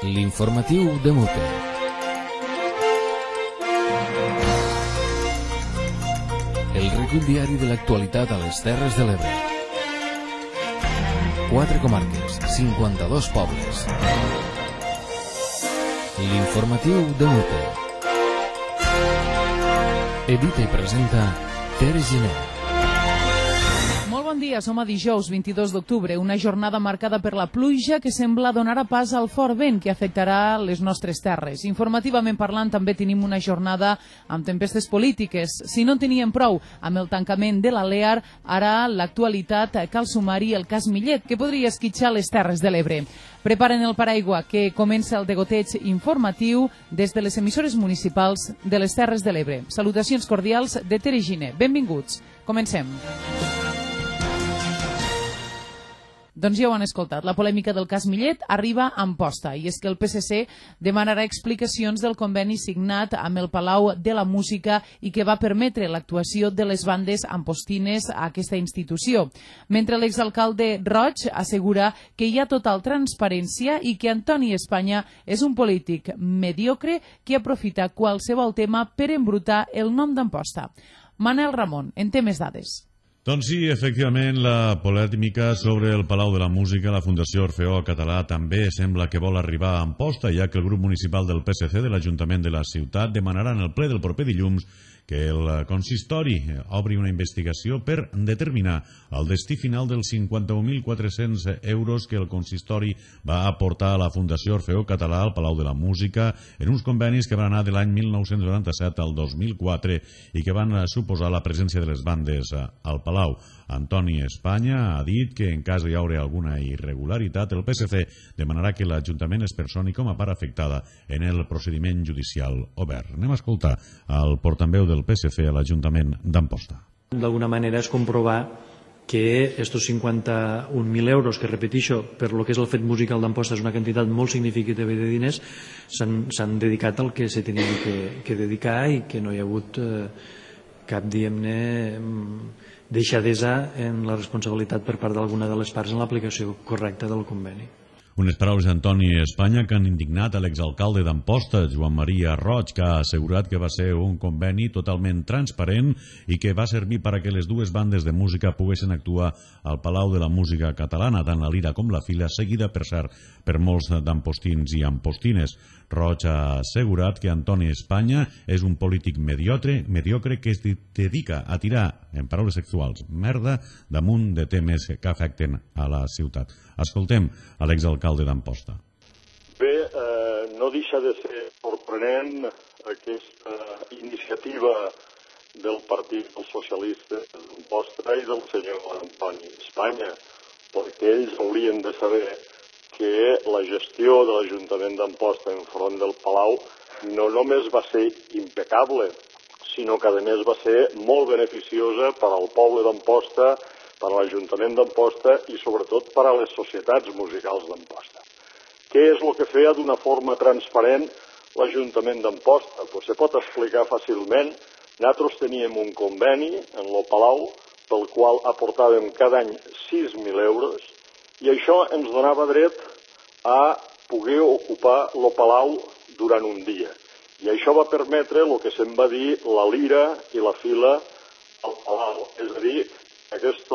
L'informatiu de Mute. El recull diari de l'actualitat a les Terres de l'Ebre. 4 comarques, 52 pobles. L'informatiu de Mute. Edita i presenta Tere Giner. Bon dia, som a dijous 22 d'octubre, una jornada marcada per la pluja que sembla donar pas al fort vent que afectarà les nostres terres. Informativament parlant, també tenim una jornada amb tempestes polítiques. Si no en teníem prou amb el tancament de l'Alear, ara l'actualitat cal sumar-hi el cas Millet, que podria esquitxar les Terres de l'Ebre. Preparen el paraigua, que comença el degoteig informatiu des de les emissores municipals de les Terres de l'Ebre. Salutacions cordials de Tere Giner. Benvinguts. Comencem. Doncs ja ho han escoltat, la polèmica del cas Millet arriba a Amposta, i és que el PSC demanarà explicacions del conveni signat amb el Palau de la Música i que va permetre l'actuació de les bandes ampostines a aquesta institució. Mentre l'exalcalde Roig assegura que hi ha total transparència i que Antoni Espanya és un polític mediocre que aprofita qualsevol tema per embrutar el nom d'Amposta. Manel Ramon, en té més dades. Doncs sí, efectivament, la polèmica sobre el Palau de la Música, la Fundació Orfeó Català, també sembla que vol arribar a Amposta, ja que el grup municipal del PSC de l'Ajuntament de la ciutat demanarà en el ple del proper dilluns que el consistori obri una investigació per determinar el destí final dels 51.400 euros que el consistori va aportar a la Fundació Orfeó Català al Palau de la Música en uns convenis que van anar de l'any 1997 al 2004 i que van suposar la presència de les bandes al Palau. Antoni Espanya ha dit que en cas hi haurà alguna irregularitat, el PSC demanarà que l'Ajuntament es personi com a part afectada en el procediment judicial obert. Anem a escoltar el portaveu del PSC a l'Ajuntament d'Amposta. D'alguna manera és comprovar que estos 51.000 euros, que repetixo, per lo que és el fet musical d'Amposta és una quantitat molt significativa de diners, s'han dedicat al que se tenien que dedicar i que no hi ha hagut cap, diguem-ne, deixadesa en la responsabilitat per part d'alguna de les parts en l'aplicació correcta del conveni. Unes paraules d'Antoni Espanya que han indignat a l'exalcalde d'Amposta, Joan Maria Roig, que ha assegurat que va ser un conveni totalment transparent i que va servir perquè les dues bandes de música poguessin actuar al Palau de la Música Catalana, tant la Lira com la Fila, seguida, per cert, per molts d'ampostins i ampostines. Roig ha assegurat que Antoni Espanya és un polític mediocre que es dedica a tirar, en paraules sexuals, merda damunt de temes que afecten a la ciutat. Escoltem a l'exalcalde d'Amposta. Bé, no deixa de ser sorprenent aquesta iniciativa del Partit dels Socialistes d'Amposta i del senyor Antoni Espanya, perquè ells haurien de saber que la gestió de l'Ajuntament d'Amposta enfront del Palau no només va ser impecable, sinó que a més va ser molt beneficiosa per al poble d'Amposta, per a l'Ajuntament d'Amposta i sobretot per a les societats musicals d'Amposta. Què és el que feia d'una forma transparent l'Ajuntament d'Amposta? Pues se pot explicar fàcilment. Nosaltres teníem un conveni en el Palau pel qual aportàvem cada any 6.000 euros i això ens donava dret a poder ocupar el Palau durant un dia. I això va permetre el que se'n va dir la Lira i la Fila al Palau. És a dir, aquests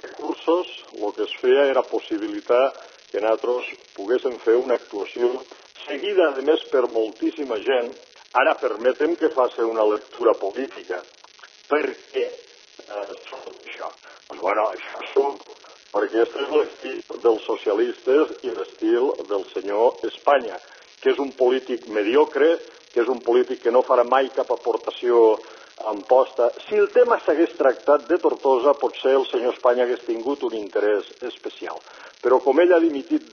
recursos el que es feia era possibilitar que nosaltres poguéssim fer una actuació seguida, a més, per moltíssima gent. Ara permetem que faci una lectura política. Per què això? Doncs, bueno, això són perquè aquest és l'estil dels socialistes i l'estil del senyor Espanya, que és un polític mediocre, que és un polític que no farà mai cap aportació a Amposta. Si el tema s'hagués tractat de Tortosa, potser el senyor Espanya hagués tingut un interès especial. Però com ell ha dimitit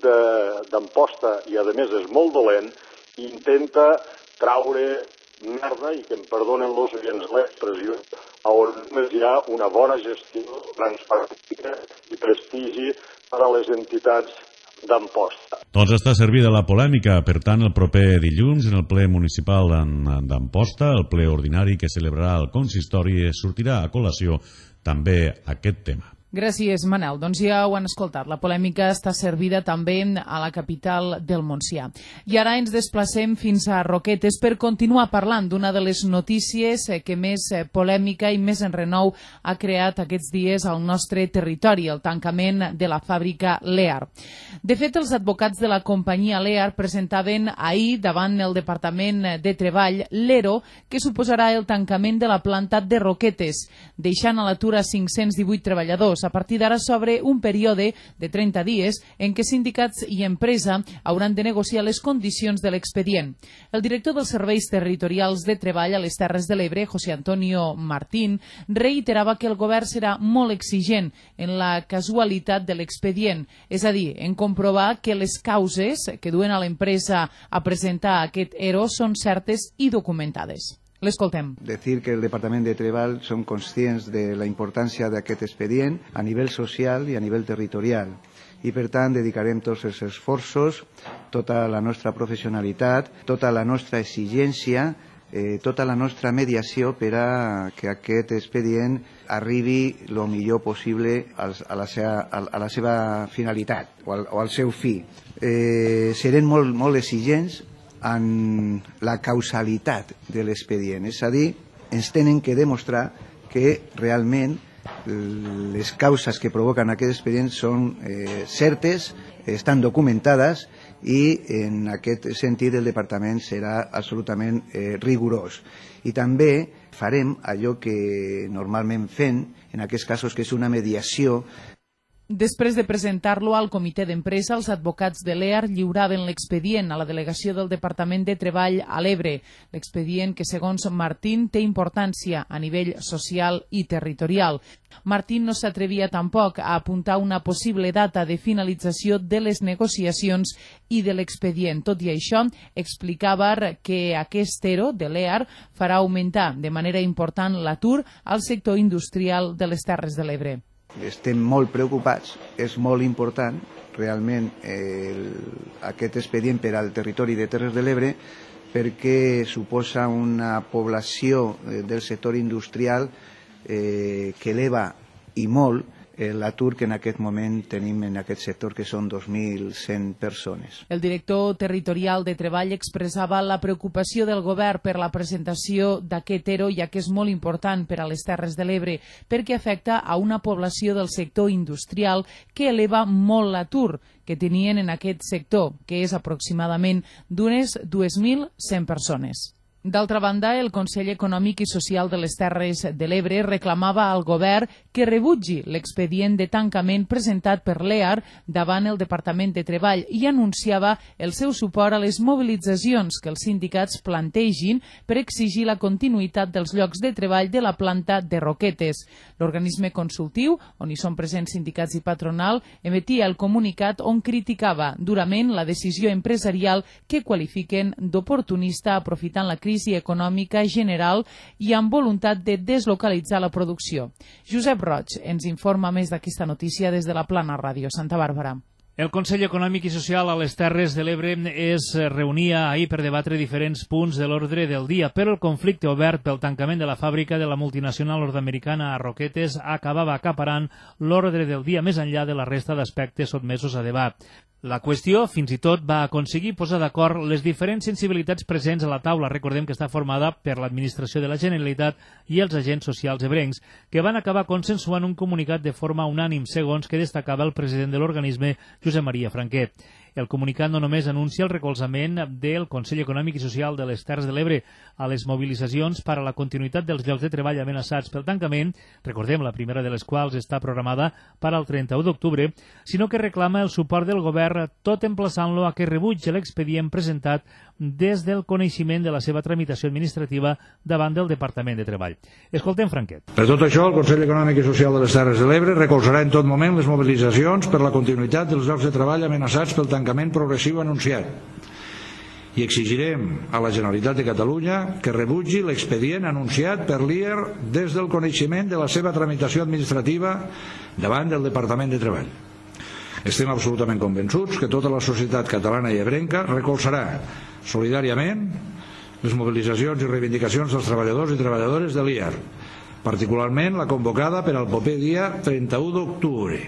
d'Amposta i a més és molt dolent, intenta traure merda, i que em perdonen els oients l'expressió, on només hi ha una bona gestió, transparència i prestigi per a les entitats d'Amposta. Doncs està servida la polèmica. Per tant, el proper dilluns, en el ple municipal d'Amposta, el ple ordinari que celebrarà el consistori, sortirà a col·lació també aquest tema. Gràcies, Manel. Doncs ja ho han escoltat. La polèmica està servida també a la capital del Montsià. I ara ens desplacem fins a Roquetes per continuar parlant d'una de les notícies que més polèmica i més enrenou ha creat aquests dies al nostre territori, el tancament de la fàbrica Lear. De fet, els advocats de la companyia Lear presentaven ahir davant el Departament de Treball l'ERO que suposarà el tancament de la planta de Roquetes, deixant a l'atur a 518 treballadors. A partir d'ara s'obre un període de 30 dies en què sindicats i empresa hauran de negociar les condicions de l'expedient. El director dels Serveis Territorials de Treball a les Terres de l'Ebre, José Antonio Martín, reiterava que el govern serà molt exigent en la casualitat de l'expedient, és a dir, en comprovar que les causes que duen a l'empresa a presentar aquest ERO són certes i documentades. L'escoltem. Decir que el Departament de Treball som conscients de la importància d'aquest expedient a nivell social i a nivell territorial i per tant dedicarem tots els esforços, tota la nostra professionalitat, tota la nostra exigència, tota la nostra mediació per a que aquest expedient arribi el millor possible a la seva finalitat o al seu fi. Serem molt exigents en la causalitat de l'expedient, és a dir, ens tenen que demostrar que realment les causes que provoquen aquest expedient són certes, estan documentades i en aquest sentit el departament serà absolutament rigorós. I també farem allò que normalment fem en aquests casos, que és una mediació. Després de presentar-lo al comitè d'empresa, els advocats de l'EAR lliuraven l'expedient a la delegació del Departament de Treball a l'Ebre. L'expedient que, segons Martín, té importància a nivell social i territorial. Martín no s'atrevia tampoc a apuntar una possible data de finalització de les negociacions i de l'expedient. Tot i això, explicava que aquest ERO de l'EAR farà augmentar de manera important l'atur al sector industrial de les Terres de l'Ebre. Estem molt preocupats, és molt important realment aquest expedient per al territori de Terres de l'Ebre perquè suposa una població del sector industrial que eleva i molt l'atur que en aquest moment tenim en aquest sector, que són 2.100 persones. El director territorial de Treball expressava la preocupació del govern per la presentació d'aquest ERO, ja que és molt important per a les Terres de l'Ebre, perquè afecta a una població del sector industrial que eleva molt l'atur que tenien en aquest sector, que és aproximadament d'unes 2.100 persones. D'altra banda, el Consell Econòmic i Social de les Terres de l'Ebre reclamava al govern que rebutgi l'expedient de tancament presentat per l'EAR davant el Departament de Treball i anunciava el seu suport a les mobilitzacions que els sindicats plantegin per exigir la continuïtat dels llocs de treball de la planta de Roquetes. L'organisme consultiu, on hi són presents sindicats i patronal, emetia el comunicat on criticava durament la decisió empresarial que qualifiquen d'oportunista aprofitant la crisi econòmica general i amb voluntat de deslocalitzar la producció. Josep Roig ens informa més d'aquesta notícia des de la Plana Ràdio Santa Bàrbara. El Consell Econòmic i Social a les Terres de l'Ebre es reunia ahir per debatre diferents punts de l'ordre del dia, però el conflicte obert pel tancament de la fàbrica de la multinacional nord-americana a Roquetes acabava acaparant l'ordre del dia més enllà de la resta d'aspectes sotmesos a debat. La qüestió, fins i tot, va aconseguir posar d'acord les diferents sensibilitats presents a la taula. Recordem que està formada per l'administració de la Generalitat i els agents socials ebrencs, que van acabar consensuant un comunicat de forma unànim, segons que destacava el president de l'organisme, Josep Maria Franquet. El comunicat no només anuncia el recolzament del Consell Econòmic i Social de les Terres de l'Ebre a les mobilitzacions per a la continuïtat dels llocs de treball amenaçats pel tancament, recordem la primera de les quals està programada per al 31 d'octubre, sinó que reclama el suport del govern, tot emplaçant-lo a que rebutgi l'expedient presentat des del coneixement de la seva tramitació administrativa davant del Departament de Treball. Escoltem Franquet. Per tot això, el Consell Econòmic i Social de les Terres de l'Ebre recolzarà en tot moment les mobilitzacions per la continuïtat dels llocs de treball amenaçats pel tancament progressiu anunciat i exigirem a la Generalitat de Catalunya que rebutgi l'expedient anunciat per l'IER des del coneixement de la seva tramitació administrativa davant del Departament de Treball. Estem absolutament convençuts que tota la societat catalana i ebrenca recolzarà solidàriament les mobilitzacions i reivindicacions dels treballadors i treballadores de l'IER, particularment la convocada per al proper dia 31 d'octubre,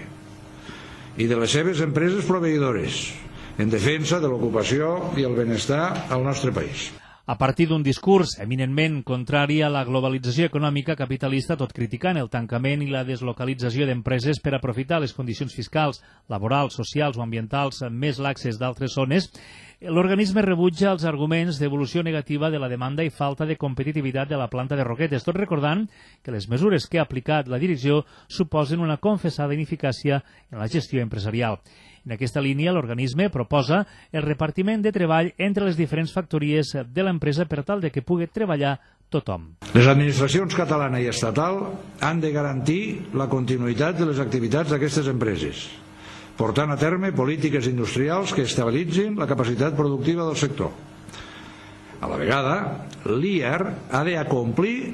i de les seves empreses proveïdores, en defensa de l'ocupació i el benestar al nostre país. A partir d'un discurs eminentment contrari a la globalització econòmica capitalista, tot criticant el tancament i la deslocalització d'empreses per aprofitar les condicions fiscals, laborals, socials o ambientals més laxes d'altres zones, l'organisme rebutja els arguments d'evolució negativa de la demanda i falta de competitivitat de la planta de Roquetes, tot recordant que les mesures que ha aplicat la direcció suposen una confessada ineficàcia en la gestió empresarial. En aquesta línia, l'organisme proposa el repartiment de treball entre les diferents factories de l'empresa per tal de que pugui treballar tothom. Les administracions catalana i estatal han de garantir la continuïtat de les activitats d'aquestes empreses, portant a terme polítiques industrials que estabilitzin la capacitat productiva del sector. A la vegada, l'IAR ha d'acomplir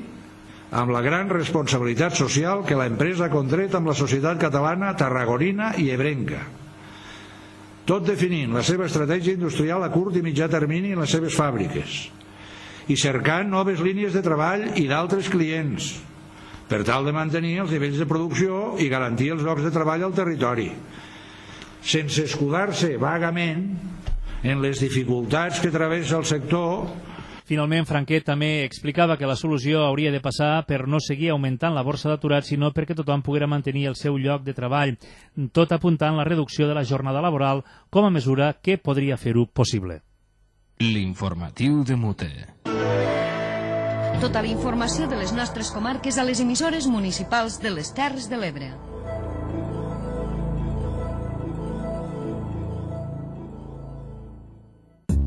amb la gran responsabilitat social que l'empresa ha contret amb la societat catalana, tarragonina i ebrenca, tot definint la seva estratègia industrial a curt i mitjà termini en les seves fàbriques i cercant noves línies de treball i d'altres clients per tal de mantenir els nivells de producció i garantir els llocs de treball al territori, sense escudar-se vagament en les dificultats que travessa el sector. Finalment, Franquet també explicava que la solució hauria de passar per no seguir augmentant la borsa d'aturats, sinó perquè tothom poguera mantenir el seu lloc de treball, tot apuntant la reducció de la jornada laboral com a mesura que podria fer-ho possible. L'informatiu de Mute. Tota la informació de les nostres comarques a les emissores municipals de les Terres de l'Ebre.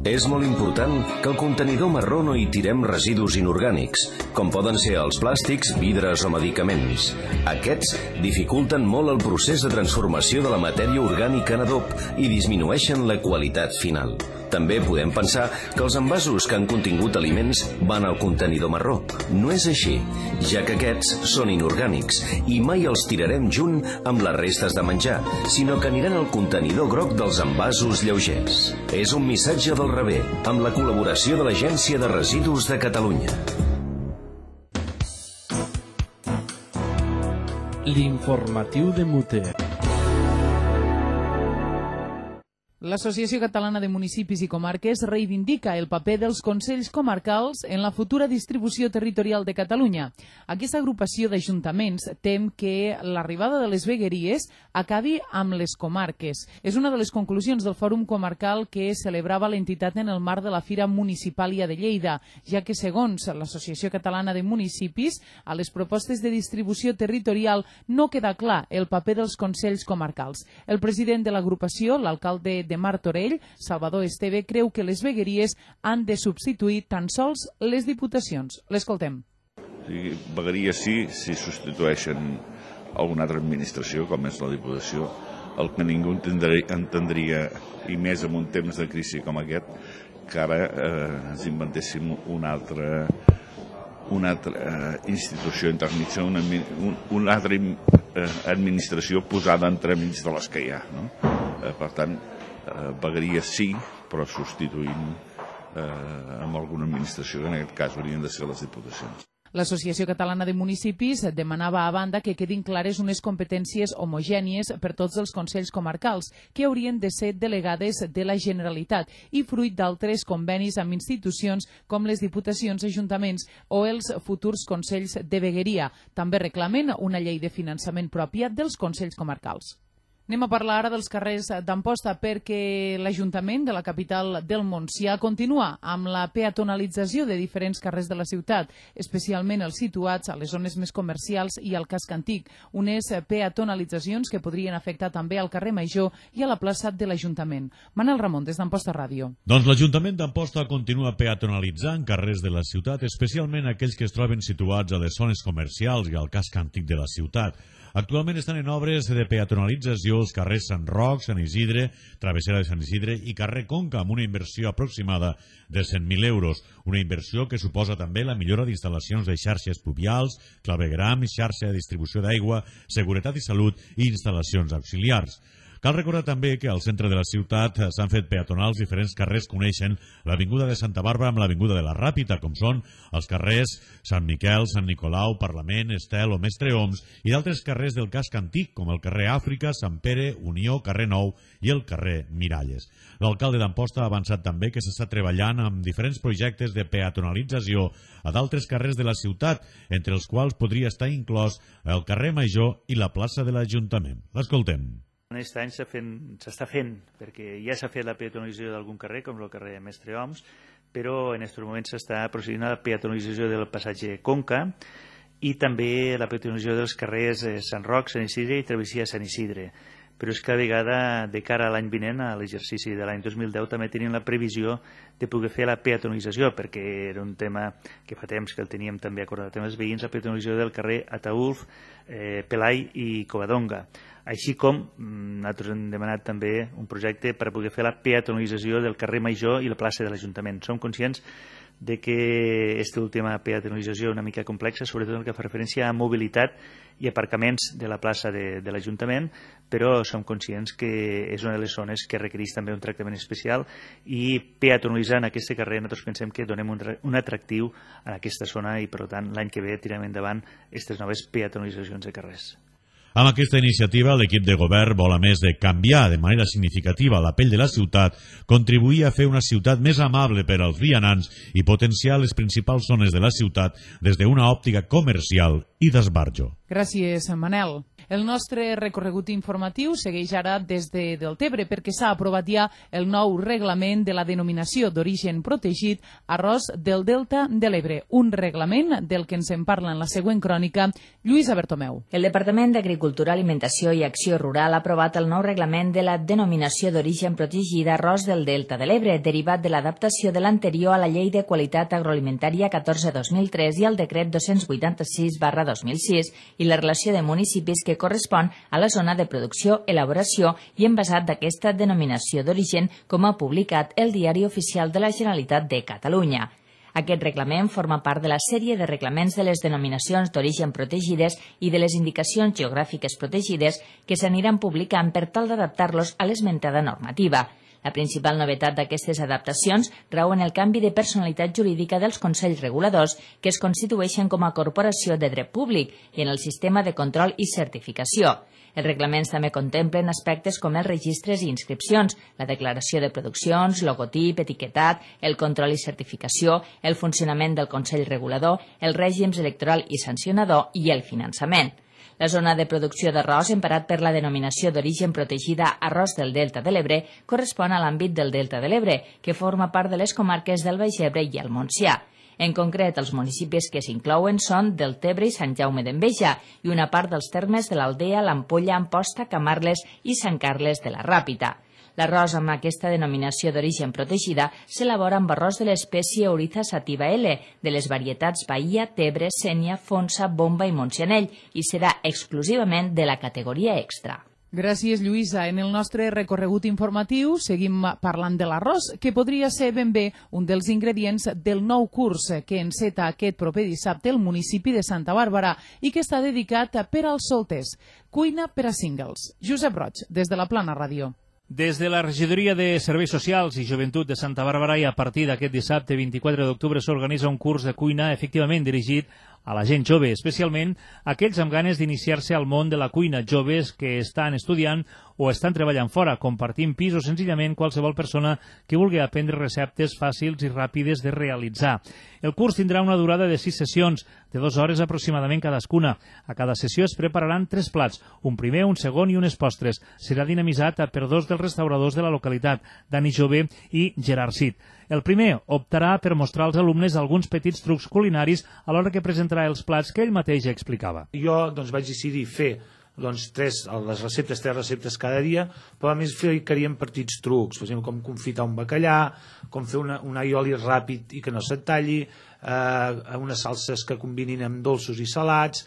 És molt important que al contenidor marró no hi tirem residus inorgànics, com poden ser els plàstics, vidres o medicaments. Aquests dificulten molt el procés de transformació de la matèria orgànica en adob i disminueixen la qualitat final. També podem pensar que els envasos que han contingut aliments van al contenidor marró. No és així, ja que aquests són inorgànics i mai els tirarem junt amb les restes de menjar, sinó que aniran al contenidor groc dels envasos lleugers. És un missatge del rebé, amb la col·laboració de l'Agència de Residus de Catalunya. L'informatiu de Mute. L'Associació Catalana de Municipis i Comarques reivindica el paper dels Consells Comarcals en la futura distribució territorial de Catalunya. Aquesta agrupació d'ajuntaments tem que l'arribada de les vegueries acabi amb les comarques. És una de les conclusions del Fòrum Comarcal que celebrava l'entitat en el marc de la Fira Municipàlia de Lleida, ja que, segons l'Associació Catalana de Municipis, a les propostes de distribució territorial no queda clar el paper dels Consells Comarcals. El president de l'agrupació, l'alcalde de Martorell, Salvador Esteve, creu que les vegueries han de substituir tan sols les diputacions. L'escoltem. Vegueries sí, si substitueixen alguna altra administració, com és la Diputació. El que ningú entendria, i més en un temps de crisi com aquest, que ara ens inventéssim una altra institució intermitja, una altra administració posada entremig de les que hi ha. Per tant, vegueries sí, però substituint amb alguna administració, que en aquest cas haurien de ser les diputacions. L'Associació Catalana de Municipis demanava a banda que quedin clares unes competències homogènies per tots els consells comarcals, que haurien de ser delegades de la Generalitat i fruit d'altres convenis amb institucions com les diputacions, ajuntaments o els futurs consells de vegueria. També reclamen una llei de finançament pròpia dels consells comarcals. Anem a parlar ara dels carrers d'Amposta perquè l'Ajuntament de la capital del Montsià continua amb la peatonalització de diferents carrers de la ciutat, especialment els situats a les zones més comercials i al casc antic, unes peatonalitzacions que podrien afectar també al carrer Major i a la plaça de l'Ajuntament. Manel Ramon, des d'Amposta Ràdio. Doncs l'Ajuntament d'Amposta continua peatonalitzant carrers de la ciutat, especialment aquells que es troben situats a les zones comercials i al casc antic de la ciutat. Actualment estan en obres de peatonalització els carrers Sant Roc, Sant Isidre, Travessera de Sant Isidre i carrer Conca, amb una inversió aproximada de 100.000 euros. Una inversió que suposa també la millora d'instal·lacions de xarxes pluvials, clavegram, xarxa de distribució d'aigua, seguretat i salut i instal·lacions auxiliars. Cal recordar també que al centre de la ciutat s'han fet peatonals diferents carrers que uneixen l'Avinguda de Santa Bàrbara amb l'Avinguda de la Ràpita, com són els carrers Sant Miquel, Sant Nicolau, Parlament, Estel o Mestre Oms, i d'altres carrers del casc antic, com el carrer Àfrica, Sant Pere, Unió, carrer Nou i el carrer Miralles. L'alcalde d'Amposta ha avançat també que s'està treballant amb diferents projectes de peatonalització a d'altres carrers de la ciutat, entre els quals podria estar inclòs el carrer Major i la plaça de l'Ajuntament. L'escoltem. Aquest any s'està fent, perquè ja s'ha fet la peatonalització d'algun carrer, com el carrer Mestre Oms, però en aquests moments s'està procedint a la peatonalització del passatge Conca i també la peatonalització dels carrers Sant Roc, Sant Isidre i Travessia Sant Isidre. Però és que a vegada, de cara a l'any vinent, a l'exercici de l'any 2010, també tenim la previsió de poder fer la peatonalització, perquè era un tema que fa temps que el teníem també acordat amb els veïns, la peatonalització del carrer Ataülf, Pelai i Covadonga. Així com nosaltres hem demanat també un projecte per poder fer la peatonalització del carrer Major i la plaça de l'Ajuntament. Som conscients de que aquesta última peatonalització és una mica complexa, sobretot el que fa referència a mobilitat i aparcaments de la plaça de l'Ajuntament, però som conscients que és una de les zones que requereix també un tractament especial i peatonalitzant aquest carrer nosaltres pensem que donem un atractiu a aquesta zona i per tant l'any que ve tirem endavant aquestes noves peatonalitzacions de carrers. Amb aquesta iniciativa, l'equip de govern vol, a més de canviar de manera significativa la pell de la ciutat, contribuir a fer una ciutat més amable per als vianants i potenciar les principals zones de la ciutat des d'una òptica comercial i d'esbarjo. Gràcies, Manel. El nostre recorregut informatiu segueix ara des de Deltebre perquè s'ha aprovat ja el nou reglament de la denominació d'origen protegit arròs del Delta de l'Ebre, un reglament del que ens en parla en la següent crònica Lluïsa Bertomeu. El Departament d'Agricultura, Alimentació i Acció Rural ha aprovat el nou reglament de la denominació d'origen protegida arròs del Delta de l'Ebre, derivat de l'adaptació de l'anterior a la Llei de Qualitat Agroalimentària 14-2003 i al Decret 286/2006 i la relació de municipis que correspon a la zona de producció, elaboració i envasat d'aquesta denominació d'origen, com ha publicat el Diari Oficial de la Generalitat de Catalunya. Aquest reglament forma part de la sèrie de reglaments de les denominacions d'origen protegides i de les indicacions geogràfiques protegides que s'aniran publicant per tal d'adaptar-los a l'esmentada normativa. La principal novetat d'aquestes adaptacions rau en el canvi de personalitat jurídica dels consells reguladors que es constitueixen com a corporació de dret públic i en el sistema de control i certificació. Els reglaments també contemplen aspectes com els registres i inscripcions, la declaració de produccions, logotip, etiquetat, el control i certificació, el funcionament del consell regulador, els règims electoral i sancionador i el finançament. La zona de producció d'arròs, emparat per la denominació d'origen protegida arròs del Delta de l'Ebre, correspon a l'àmbit del Delta de l'Ebre, que forma part de les comarques del Baix Ebre i el Montsià. En concret, els municipis que s'inclouen són Deltebre i Sant Jaume d'Enveja i una part dels termes de l'Aldea, l'Ampolla, Amposta, Camarles i Sant Carles de la Ràpita. L'arròs amb aquesta denominació d'origen protegida s'elabora amb arròs de l'espècie Oryza sativa L, de les varietats Bahia, Tebre, Sénia, Fonsa, Bomba i Montsianell, i serà exclusivament de la categoria extra. Gràcies, Lluïsa. En el nostre recorregut informatiu seguim parlant de l'arròs, que podria ser ben bé un dels ingredients del nou curs que enceta aquest proper dissabte el municipi de Santa Bàrbara i que està dedicat per als solters. Cuina per a singles. Josep Roig, des de la Plana Ràdio. Des de la Regidoria de Serveis Socials i Joventut de Santa Bàrbara i a partir d'aquest dissabte 24 d'octubre s'organitza un curs de cuina efectivament dirigit a la gent jove, especialment aquells amb ganes d'iniciar-se al món de la cuina, joves que estan estudiant o estan treballant fora, compartint pis o senzillament qualsevol persona que vulgui aprendre receptes fàcils i ràpides de realitzar. El curs tindrà una durada de 6 sessions, de 2 hores aproximadament cadascuna. A cada sessió es prepararan 3 plats, un primer, un segon i unes postres. Serà dinamitzat per 2 dels restauradors de la localitat, Dani Jové i Gerard Cid. El primer optarà per mostrar als alumnes alguns petits trucs culinaris a l'hora que presentarà els plats que ell mateix explicava. Jo vaig decidir fer tres receptes cada dia, però a més ficaríem petits trucs, per exemple, com confitar un bacallà, com fer un aioli ràpid i que no se't talli, unes salses que combinin amb dolços i salats,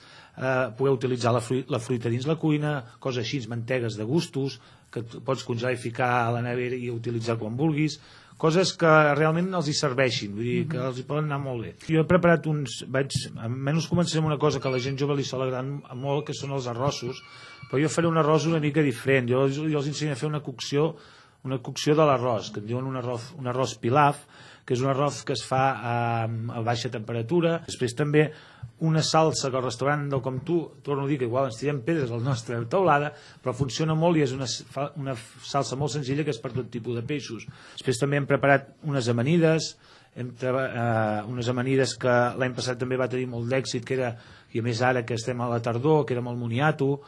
poder utilitzar la fruita dins la cuina, coses així, mantegues de gustos, que pots congelar i ficar a la nevera i utilitzar quan vulguis, coses que realment els hi serveixin, vull dir, que els hi poden anar molt bé. Jo he preparat almenys començaré amb una cosa que a la gent jove li sol agradar molt, que són els arrossos, però jo faré un arròs una mica diferent. Jo els ensenyo a fer una cocció de l'arròs, que en diuen un arròs pilaf, que és un arròs que es fa a baixa temperatura. Després també una salsa que al restaurant del Com Tu, torno a dir que igual ens tirem pedres a la nostra taulada, però funciona molt i és una salsa molt senzilla que és per tot tipus de peixos. Després també hem preparat unes amanides, unes amanides que l'any passat també va tenir molt d'èxit, i a més ara que estem a la tardor, que era amb el moniato.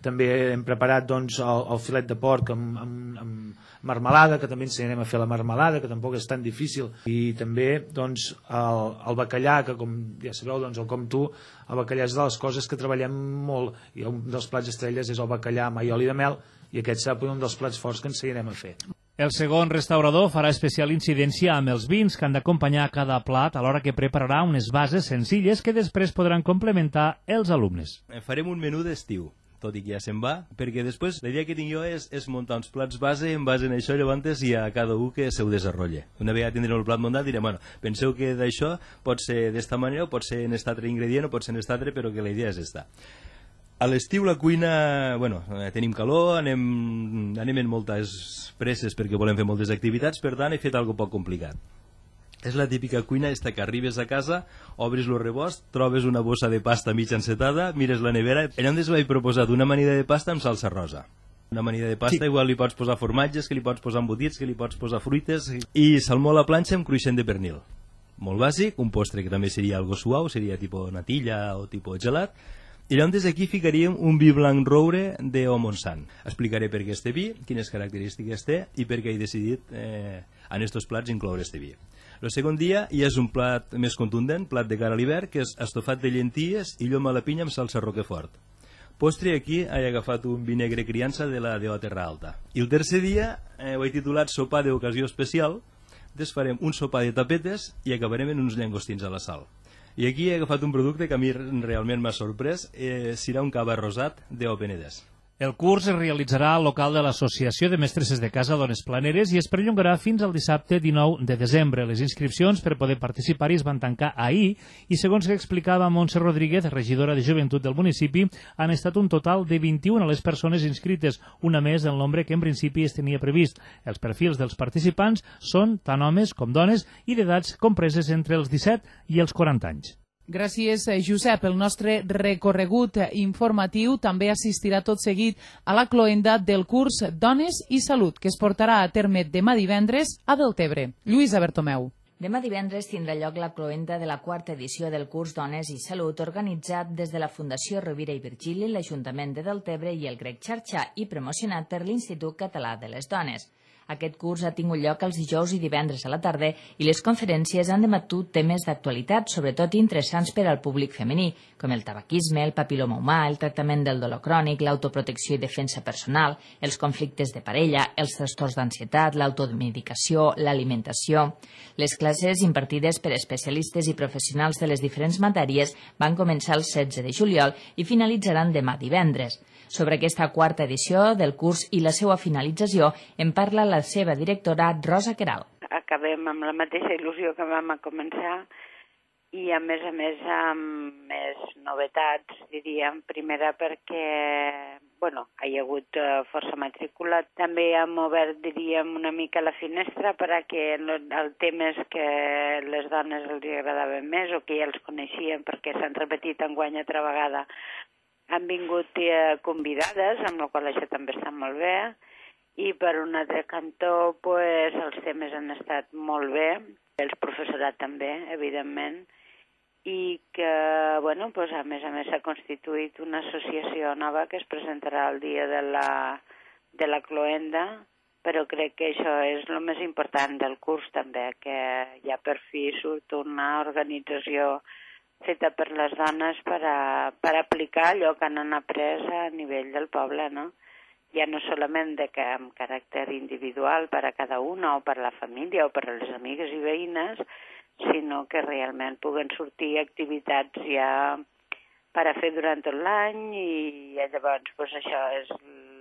També hem preparat el filet de porc amb marmelada, que també ensenyarem a fer la marmelada, que tampoc és tan difícil. I també el bacallà, que com ja sabeu, el Com Tu, el bacallà és de les coses que treballem molt, i un dels plats estrelles és el bacallà amb oli de mel, i aquest serà un dels plats forts que ensenyarem a fer. El segon restaurador farà especial incidència amb els vins que han d'acompanyar cada plat, alhora que prepararà unes bases senzilles que després podran complementar els alumnes. Farem un menú d'estiu, tot i que ja se'n va, perquè després la idea que tinc jo és muntar uns plats base en base a això, llavors i a cada un que se ho desenrotlle. Una vegada tindrem el plat muntat direm, bueno, penseu que d'això pot ser d'esta manera o pot ser en aquest altre ingredient o pot ser en aquest altre, però que la idea és esta. A l'estiu la cuina, tenim calor, anem en moltes presses perquè volem fer moltes activitats, per tant he fet alguna poc complicat. És la típica cuina que arribes a casa, obris el rebost, trobes una bossa de pasta mig encetada, mires la nevera. Llavors vaig proposar una amanida de pasta amb salsa rosa. Una amanida de pasta, igual li pots posar formatges, que li pots posar embotits, que li pots posar fruites, i salmó a la planxa amb cruixent de pernil. Molt bàsic, un postre que també seria algo suau, seria tipus natilla o tipus gelat. I llavors aquí ficaríem un vi blanc roure d'O Montsant. Explicaré per què este vi, quines característiques té i per què he decidit en aquests plats incloure este vi. El segon dia ja és un plat més contundent, plat de cara a l'hivern, que és estofat de llenties i llom a la pinya amb salsa roquefort. Postre, aquí he agafat un vi negre criança de la DO Terra Alta. I el tercer dia ho he titulat sopar d'ocasió especial, desfarem un sopar de tapetes i acabarem en uns llangostins a la sal. I aquí he agafat un producte que a mi realment m'ha sorprès, serà un cava rosat d'O Penedès. El curs es realitzarà al local de l'Associació de Mestresses de Casa Dones Planeres i es perllongarà fins al dissabte 19 de desembre. Les inscripcions per poder participar-hi es van tancar ahir i, segons que explicava Montse Rodríguez, regidora de Joventut del municipi, han estat un total de 21 les persones inscrites, una més del nombre que en principi es tenia previst. Els perfils dels participants són tant homes com dones i d'edats compreses entre els 17 i els 40 anys. Gràcies, Josep. El nostre recorregut informatiu també assistirà tot seguit a la cloenda del curs Dones i Salut, que es portarà a terme demà divendres a Deltebre. Lluïsa Bertomeu. Demà divendres tindrà lloc la cloenda de la quarta edició del curs Dones i Salut, organitzat des de la Fundació Rovira i Virgili, l'Ajuntament de Deltebre i el Grec Xarxa i promocionat per l'Institut Català de les Dones. Aquest curs ha tingut lloc els dijous i divendres a la tarda i les conferències han debatut temes d'actualitat, sobretot interessants per al públic femení, com el tabaquisme, el papiloma humà, el tractament del dolor crònic, l'autoprotecció i defensa personal, els conflictes de parella, els trastorns d'ansietat, l'automedicació, l'alimentació. Les classes impartides per especialistes i professionals de les diferents matèries van començar el 16 de juliol i finalitzaran demà divendres. Sobre aquesta quarta edició del curs i la seva finalització en parla la seva directora Rosa Queralt. Acabem amb la mateixa il·lusió que vam a començar i a més amb més novetats, diríem. Primera perquè hi ha hagut força matrícula. També hem obert, diríem, una mica la finestra perquè el temes que les dones els agradaven més o que ja els coneixien perquè s'han repetit enguany altra vegada. Han vingut convidades, amb la qual això també està molt bé, i per un altre cantó els temes han estat molt bé, el professorat també, evidentment, i que, a més s'ha constituït una associació nova que es presentarà el dia de la cloenda, però crec que això és el més important del curs també, que ja per fi surt una organització feta per les dones per aplicar allò que han après a nivell del poble, no? Ja no solament amb caràcter individual per a cada una o per a la família o per a les amigues i veïnes, sinó que realment puguen sortir activitats ja per a fer durant tot l'any i llavors això és,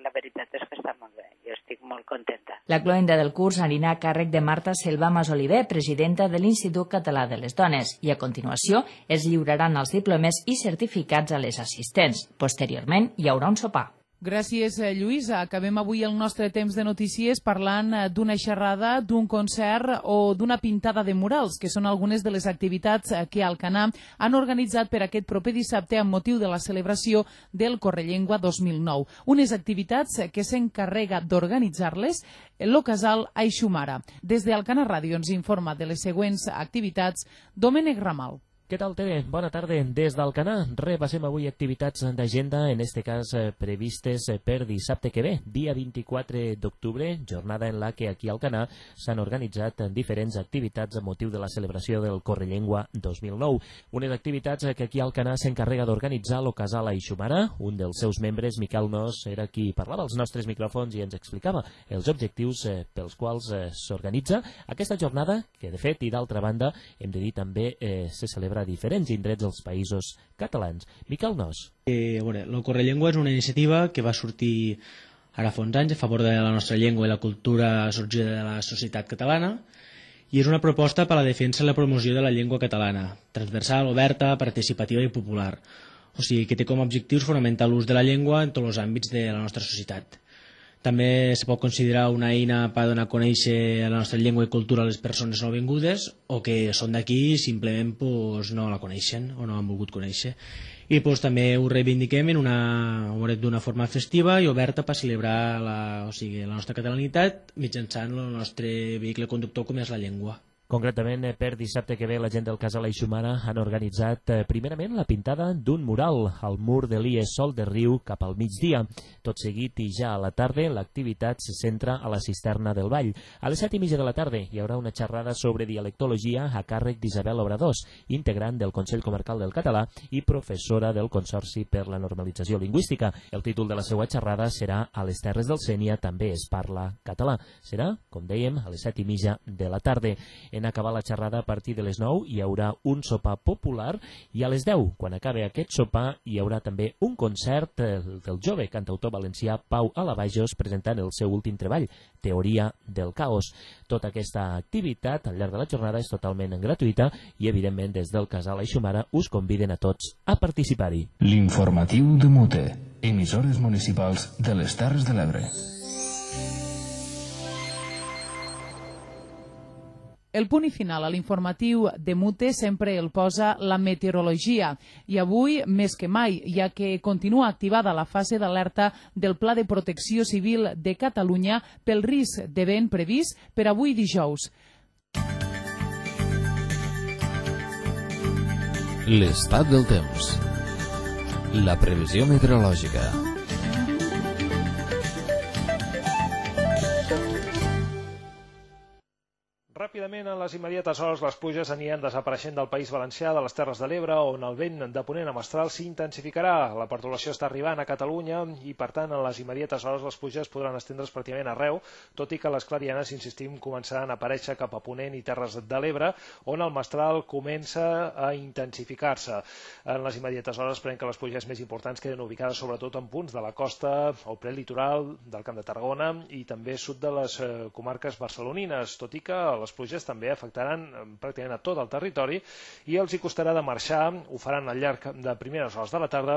la veritat és que està molt bé, jo estic molt contenta. La cloenda del curs anirà a càrrec de Marta Selva Masoliver, presidenta de l'Institut Català de les Dones, i a continuació es lliuraran els diplomes i certificats a les assistents. Posteriorment hi haurà un sopar. Gràcies, Lluïsa. Acabem avui el nostre temps de notícies parlant d'una xerrada, d'un concert o d'una pintada de murals, que són algunes de les activitats que a Alcanar han organitzat per aquest proper dissabte amb motiu de la celebració del Correllengua 2009. Unes activitats que s'encarrega d'organitzar-les el casal Aixumara. Des d'Alcanar Ràdio ens informa de les següents activitats Domènec Ramal. Què tal, Tere? Bona tarda. Des d'Alcanar repassem avui activitats d'agenda, en este cas previstes per dissabte que ve, dia 24 d'octubre, jornada en la que aquí a Alcanar s'han organitzat diferents activitats a motiu de la celebració del Correllengua 2009. Unes activitats que aquí a Alcanar s'encarrega d'organitzar el casal Aixumara. Un dels seus membres, Miquel Nos, era qui parlava als nostres micròfons i ens explicava els objectius pels quals s'organitza aquesta jornada, que de fet i d'altra banda hem de dir també se celebra a diferents indrets dels països catalans. Miquel Nos. El Correllengua és una iniciativa que va sortir ara fa uns anys a favor de la nostra llengua i la cultura sorgida de la societat catalana, i és una proposta per a la defensa i la promoció de la llengua catalana, transversal, oberta, participativa i popular. O sigui, que té com a objectius fonamentar l'ús de la llengua en tots els àmbits de la nostra societat. També se pot considerar una eina per donar a conèixer la nostra llengua i cultura a les persones nouvingudes o que són d'aquí i simplement no la coneixen o no han volgut conèixer. I també ho reivindiquem d'una forma festiva i oberta per celebrar la nostra catalanitat mitjançant el nostre vehicle conductor com és la llengua. Concretament, per dissabte que ve, la gent del casal Aixumara han organitzat primerament la pintada d'un mural al mur de l'IES Sol de Riu cap al migdia. Tot seguit i ja a la tarda, l'activitat se centra a la cisterna del Vall. A les 7:30 de la tarda hi haurà una xerrada sobre dialectologia a càrrec d'Isabel Obradors, integrant del Consell Comarcal del Català i professora del Consorci per la Normalització Lingüística. El títol de la seva xerrada serà A les Terres del Sénia també es parla català. Serà, com dèiem, a les 7:30 de la tarda. En acabar la xerrada a partir de les 9 hi haurà un sopar popular i a les 10, quan acabi aquest sopar, hi haurà també un concert del jove cantautor valencià Pau Alavajos presentant el seu últim treball, Teoria del Caos. Tota aquesta activitat al llarg de la jornada és totalment gratuïta i, evidentment, des del casal Aixumara us conviden a tots a participar-hi. L'informatiu de Mute, emissores municipals de les Terres de l'Ebre. El punt i final a l'informatiu de Mute sempre el posa la meteorologia i avui més que mai, ja que continua activada la fase d'alerta del Pla de Protecció Civil de Catalunya pel risc de vent previst per avui dijous. L'estat del temps. La previsió meteorològica. Ràpidament, en les immediates hores, les pluges aniran desapareixent del País Valencià, de les Terres de l'Ebre, on el vent de ponent a mestral s'intensificarà. La pertorbació està arribant a Catalunya i, per tant, en les immediates hores les pluges podran estendre's pràcticament arreu, tot i que les clarianes, insistim, començaran a aparèixer cap a ponent i Terres de l'Ebre, on el mestral comença a intensificar-se. En les immediates hores esperem que les pluges més importants queden ubicades sobretot en punts de la costa o prelitoral del Camp de Tarragona i també sud de les comarques barcelonines, tot i que les pluges també afectaran pràcticament a tot el territori i els hi costarà de marxar, ho faran al llarg de primeres hores de la tarda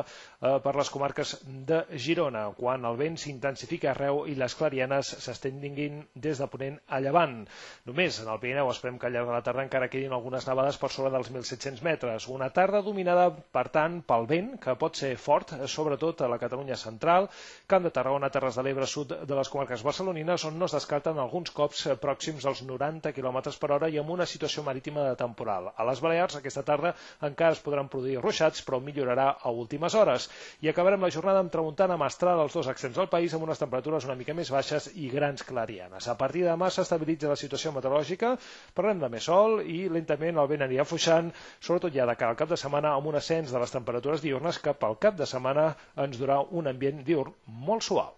per les comarques de Girona, quan el vent s'intensifica arreu i les clarianes s'estenguin des de ponent a llevant. Només en el Pirineu esperem que al llarg de la tarda encara quedin algunes nevades per sobre dels 1.700 metres. Una tarda dominada, per tant, pel vent, que pot ser fort, sobretot a la Catalunya central, Camp de Tarragona, Terres de l'Ebre, sud de les comarques barcelonines, on no es descarten alguns cops pròxims als 90 km per hora i amb una situació marítima de temporal. A les Balears aquesta tarda encara es podran produir ruixats, però millorarà a últimes hores. I acabarem la jornada amb tramuntana mestral als dos extrems del país, amb unes temperatures una mica més baixes i grans clarianes. A partir de demà s'estabilitza la situació meteorològica, parlem de més sol i lentament el vent anirà afluixant, sobretot ja de cara al cap de setmana, amb un ascens de les temperatures diürnes que pel cap de setmana ens durà un ambient diürn molt suau.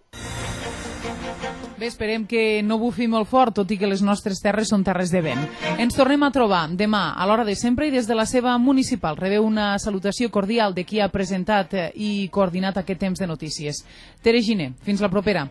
Bé, esperem que no bufi molt fort, tot i que les nostres terres són terres de vent. Ens tornem a trobar demà a l'hora de sempre i des de la seva municipal. Rebeu una salutació cordial de qui ha presentat i coordinat aquest temps de notícies. Tere Giner, fins la propera.